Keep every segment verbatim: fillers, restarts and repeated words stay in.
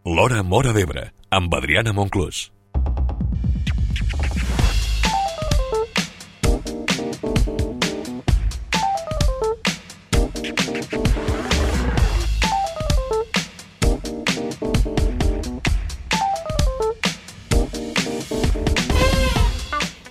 L'Hora Móra d'Ebre, amb Adriana Monclús.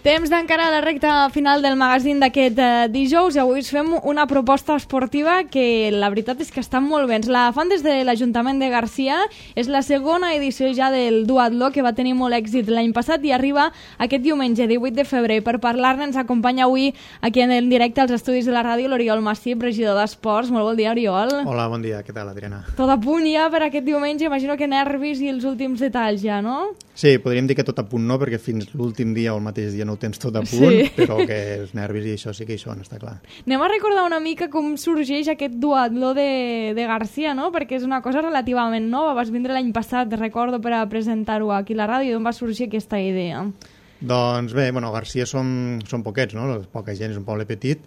Temps d'encarar la recta final del magazín d'aquest eh, dijous i avui us fem una proposta esportiva que la veritat és que està molt bé. Ens la fan des de l'Ajuntament de Garcia. És la segona edició ja del duatló que va tenir molt èxit l'any passat i arriba aquest diumenge divuit de febrer. Per parlar-ne ens acompanya avui aquí en directe als estudis de la ràdio l'Oriol Massip, regidor d'Esports. Molt bon dia, Oriol. Hola, bon dia. Què tal, Adriana? Tot a punt ja per aquest diumenge. Imagino que nervis i els últims detalls ja, no? Sí, podríem dir que tot a punt no, perquè fins l'últim dia o el mateix dia no ho tens tot a punt, sí. Però que els nervis i això sí que hi són, està clar. Anem a recordar una mica com sorgeix aquest duatló de, de Garcia, no? Perquè és una cosa relativament nova. Vas vindre l'any passat, recordo, per a presentar-ho aquí a la ràdio. D'on va sorgir aquesta idea? Doncs bé, bueno, Garcia som, som poquets, no? Poca gent, és un poble petit.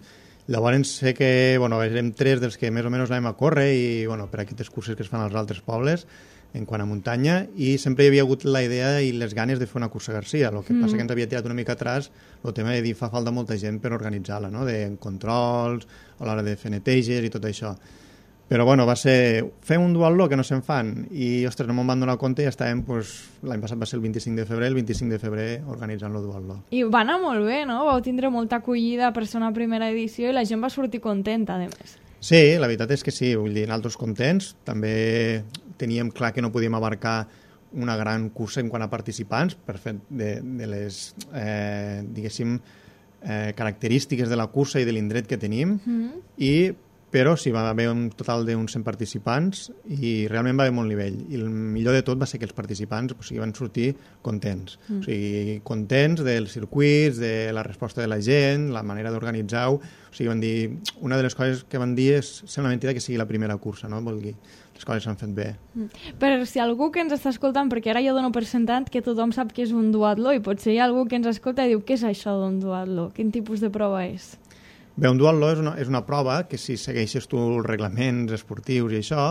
Llavors sé que, bueno, érem tres dels que més o menys anàvem a córrer i, bueno, per aquestes curses que es fan als altres pobles, en quant a muntanya, i sempre hi havia hagut la idea i les ganes de fer una cursa Garcia. El que mm. passa que ens havia tirat una mica atràs el tema de dir fa falta molta gent per organitzar-la, no? De controls, a l'hora de fer neteges i tot això. Però bueno, va ser fer un duatló que no se'n fan i, ostres, no me'n van donar compte i estàvem, pues, l'any passat va ser el vint-i-cinc de febrer, el vint-i-cinc de febrer organitzant el duatló. I va anar molt bé, no? Vau tindre molta acollida per ser una primera edició i la gent va sortir contenta, a més. Sí, la veritat és que sí, vull dir, nosaltres contents. També teníem clar que no podíem abarcar una gran cursa en quant a participants per fet de, de les, eh, diguéssim, eh, característiques de la cursa i de l'indret que tenim, mm-hmm. i però sí, va haver un total d'uns cent participants i realment va haver molt nivell. I el millor de tot va ser que els participants, o sigui, van sortir contents. Mm. O sigui, contents dels circuits, de la resposta de la gent, la manera d'organitzar-ho. O sigui, van dir, una de les coses que van dir és, sembla mentida que sigui la primera cursa, no? Vol dir, les coses s'han fet bé. Mm. Per si algú que ens està escoltant, perquè ara jo dono per sentat que tothom sap que és un duatló i potser hi ha algú que ens escolta i diu, què és això d'un duatló? Quin tipus de prova és? Bé, un duatló és una, és una prova que si segueixes tu els reglaments esportius i això,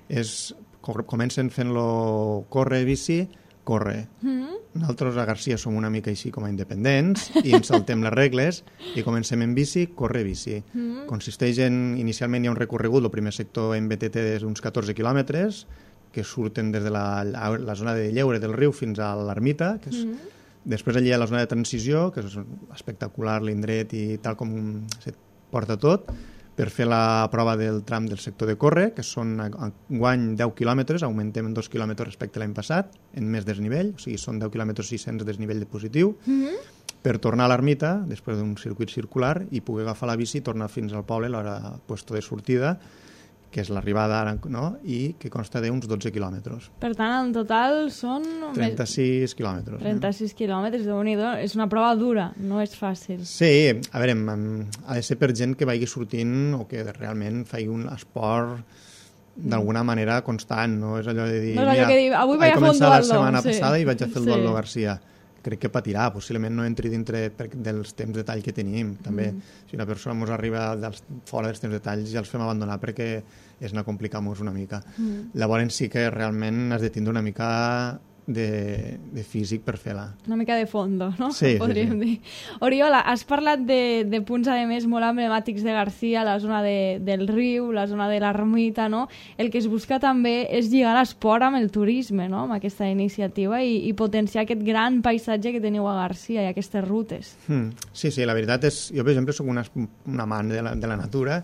és, comencen fent-lo córrer, bici, córrer. Mm-hmm. Nosaltres a Garcia som una mica així com a independents i ens saltem les regles i comencem en bici, córrer, bici. Mm-hmm. Consisteix en, inicialment hi ha un recorregut, el primer sector en B T T d'uns catorze quilòmetres, que surten des de la, la zona de Lleure del riu fins a l'Ermita, que és... Mm-hmm. Després allà hi ha la zona de transició, que és espectacular l'indret i tal com se porta tot, per fer la prova del tram del sector de córrer, que són enguany deu quilòmetres, augmentem dos quilòmetres respecte a l'any passat, en més desnivell, o sigui, són deu quilòmetres sis-cents de desnivell de positiu, mm-hmm. per tornar a l'ermita, després d'un circuit circular, i poder agafar la bici i tornar fins al poble a l'hora puesto de sortida, que és l'arribada ara, no? I que consta d'uns dotze quilòmetres. Per tant, en total són... trenta-sis quilòmetres. trenta-sis eh? quilòmetres, déu-n'hi-do. És una prova dura, no és fàcil. Sí, a veure, ha de ser per gent que vagi sortint o que realment faci un esport d'alguna manera constant, no és allò de dir... No és allò que dir, avui vaig a fer un duatló. La setmana sí. passada i vaig a fer el sí. duatló Garcia. Crec que patirà, possiblement no entri dintre dels temps de tall que tenim. També, mm. si una persona ens arriba dels, fora dels temps de tall, ja els fem abandonar perquè és anar complicar-nos una mica. Mm. Llavors sí que realment has de tindre una mica de, de físic per fer-la. Una mica de fondo, no? Sí, podríem sí, sí. dir. Oriola, has parlat de, de punts, a més, molt emblemàtics de Garcia, la zona de, del riu, la zona de l'ermita, no? El que es busca també és lligar l'esport amb el turisme, no? Amb aquesta iniciativa i, i potenciar aquest gran paisatge que teniu a Garcia i aquestes rutes. Mm. Sí, sí, la veritat és... Jo, per exemple, soc una, una amant de la, de la natura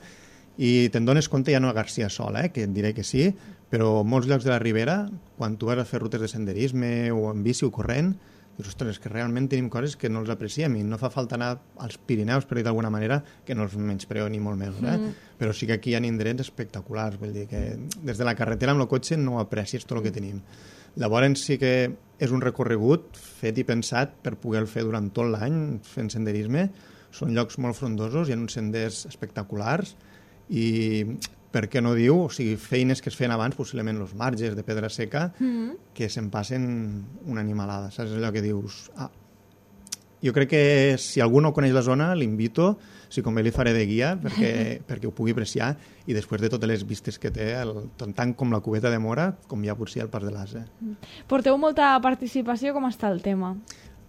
i te'n dones compte ja no a Garcia sola, eh? Que et diré que sí, però molts llocs de la Ribera, quan tu vas a fer rutes de senderisme o en bici o corrent, dius, ostres, que realment tenim coses que no els apreciem i no fa falta anar als Pirineus, per dir d'alguna manera, que no els menyspreo ni molt menys, eh? Mm. Però sí que aquí hi ha indrets espectaculars, vull dir que des de la carretera amb el cotxe no aprecies tot el que tenim. Llavors sí que és un recorregut fet i pensat per poder fer durant tot l'any fent senderisme. Són llocs molt frondosos, hi ha uns senders espectaculars i... per què no diu, o sigui, feines que es feien abans, possiblement els marges de pedra seca, mm. que se'n passen una animalada, saps allò que dius, ah, jo crec que si algú no coneix la zona, l'invito, si convé li faré de guia perquè, perquè ho pugui apreciar, i després de totes les vistes que té, el, tant com la cubeta de Mora, com ja potser el Pas de l'Ase. Porteu molta participació, com està el tema?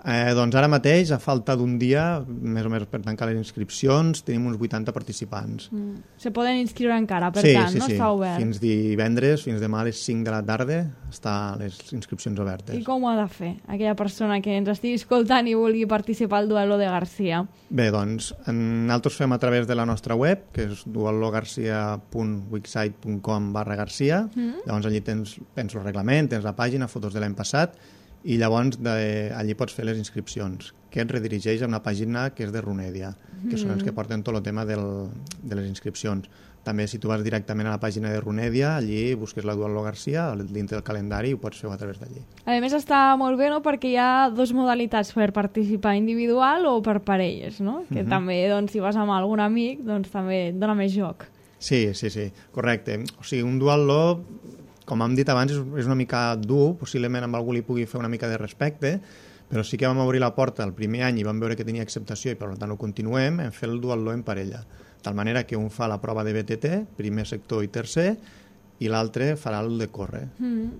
Eh, doncs ara mateix, a falta d'un dia, més o menys per tancar les inscripcions, tenim uns vuitanta participants. Mm. Se poden inscriure encara, per sí, tant, sí, no sí. està obert? Fins divendres, fins demà a les cinc de la tarda, estan les inscripcions obertes. I com ho ha de fer aquella persona que ens estigui escoltant i vulgui participar al Duelo de Garcia? Bé, doncs, nosaltres fem a través de la nostra web, que és duelogarcia punt wixsite punt com barra Garcia. Mm. Llavors allí tens, tens el reglament, tens la pàgina, fotos de l'any passat, i llavors de, allí pots fer les inscripcions, que et redirigeix a una pàgina que és de Runedia, que mm. són els que porten tot el tema del, de les inscripcions. També, si tu vas directament a la pàgina de Runedia, allí busques la Duelo Garcia dintre del calendari i ho pots fer a través d'allí. A més, està molt bé, no?, perquè hi ha dues modalitats per participar, individual o per parelles, no? Que mm-hmm. també, doncs, si vas amb algun amic, doncs també et dona més joc. Sí, sí, sí, correcte. O sigui, un duatló, com hem dit abans, és una mica dur, possiblement amb algú li pugui fer una mica de respecte, però sí que vam obrir la porta el primer any i vam veure que tenia acceptació i per tant ho continuem, en fer el duatló en parella. De tal manera que un fa la prova de B T T, primer sector i tercer, i l'altre farà el de córrer. Mm.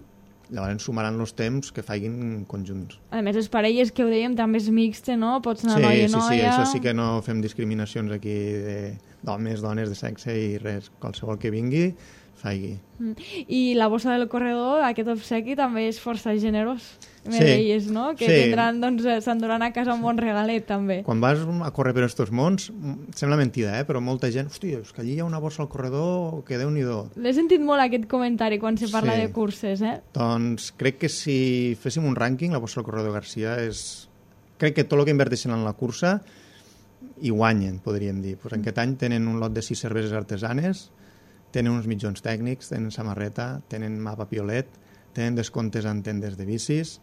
Llavors sumaran els temps que facin conjunts. A més, les parelles que ho dèiem també és mixte, no? Pots anar sí, noia i sí, noia... Sí, això sí que no fem discriminacions aquí d'homes, dones, de sexe i res. Qualsevol que vingui, faigui. Mm. I la bossa del corredor, aquest obsequi, també és força generós. Me sí. deies, no? Que sí. tindran, doncs, s'enduran a casa un bon regalet, també. Quan vas a córrer per estos mons, sembla mentida, eh? Però molta gent, hòstia, és que allí hi ha una bossa al corredor, que Déu-n'hi-do. L'he sentit molt aquest comentari quan se parla sí. de curses, eh? Doncs crec que si féssim un rànquing, la bossa al corredor Garcia és... Crec que tot el que inverteixen en la cursa hi guanyen, podríem dir. Pues en aquest any tenen un lot de sis cerveses artesanes, tenen uns mitjons tècnics, tenen samarreta, tenen mapa piolet, tenen descomptes en tendes de bicis,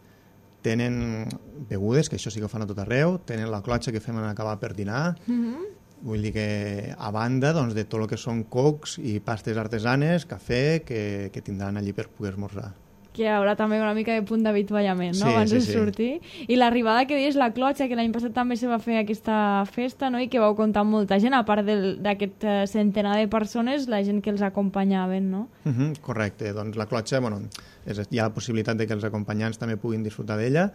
tenen begudes, que això sí que ho fan a tot arreu, tenen la clotxa que fem en acabar per dinar, mm-hmm. vull dir que a banda doncs, de tot el que són cocs i pastes artesanes, cafè, que, que tindran allí per poder esmorzar. Que hi haurà també una mica de punt d'avituallament, no?, sí, abans sí, de sí. sortir. I l'arribada que deies, la clotxa, que l'any passat també se va fer aquesta festa, no?, i que vau comptar amb molta gent, a part d'aquest uh, centenar de persones, la gent que els acompanyaven, no? Uh -huh, correcte, doncs la clotxa, bueno, és, hi ha la possibilitat de que els acompanyants també puguin disfrutar d'ella,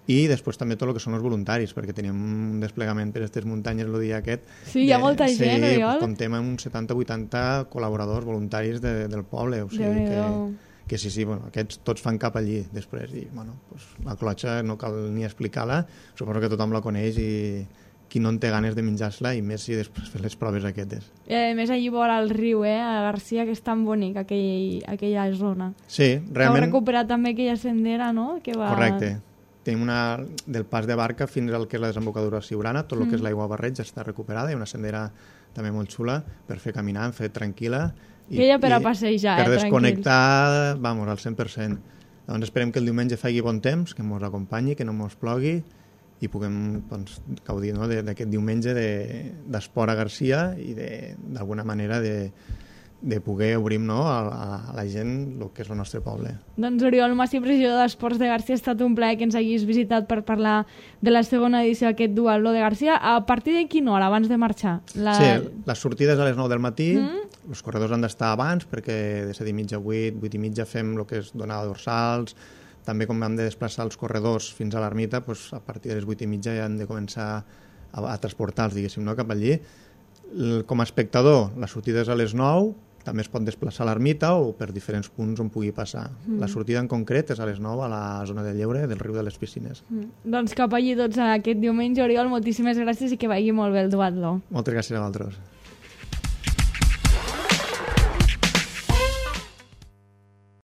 i després també tot el que són els voluntaris, perquè tenim un desplegament per aquestes muntanyes el dia aquest. Sí, hi ha molta sí, gent, Oriol. Sí, comptem amb uns setanta o vuitanta col·laboradors voluntaris de, del poble, o sigui que... que sí, sí, bueno, aquests tots fan cap allí després, i bueno, pues, la clotxa no cal ni explicar-la, suposo que tothom la coneix i qui no en té ganes de menjar-se-la, i més si després fes les proves aquestes. I a més allí vora el riu, eh, a Garcia, que és tan bonic aquell, aquella zona. Sí, realment... Heu recuperat també aquella sendera, no?, que va... Correcte. Tenim una del pas de barca fins al que és la desembocadura Siurana, tot el mm. que és l'aigua barreig ja està recuperada, hi ha una sendera també molt xula per fer caminar, fer tranquil·la, I, ella per a passejar, per eh, desconnectar, vamos, al cent per cent. Doncs esperem que el diumenge faci bon temps, que ens acompanyi, que no ens plogui i puguem doncs, gaudir no, d'aquest diumenge d'esport a Garcia i d'alguna manera de, de poder obrir no, a, a la gent el que és el nostre poble. Doncs Oriol Masip, regidor d'Esports de Garcia, ha estat un plaer que ens hagis visitat per parlar de la segona edició d'aquest Duatló de Garcia. A partir de quina hora, abans de marxar? La... Sí, les sortides a les nou del matí, mm. els corredors han d'estar abans perquè de set i mitja a vuit, vuit i mitja fem el que és donar dorsals, també com hem de desplaçar els corredors fins a l'ermita, doncs a partir de les vuit i mitja ja hem de començar a, a transportar-los, diguéssim, no, cap allí. Com a espectador, les sortides a les nou, també es pot desplaçar a l'ermita o per diferents punts on pugui passar. Mm. La sortida en concret és a les nou a la zona de lleure del riu de les Piscines. Mm. Doncs cap allí tots aquest diumenge, Oriol, moltíssimes gràcies i que vagi molt bé el duatló. Moltes gràcies a vosaltres.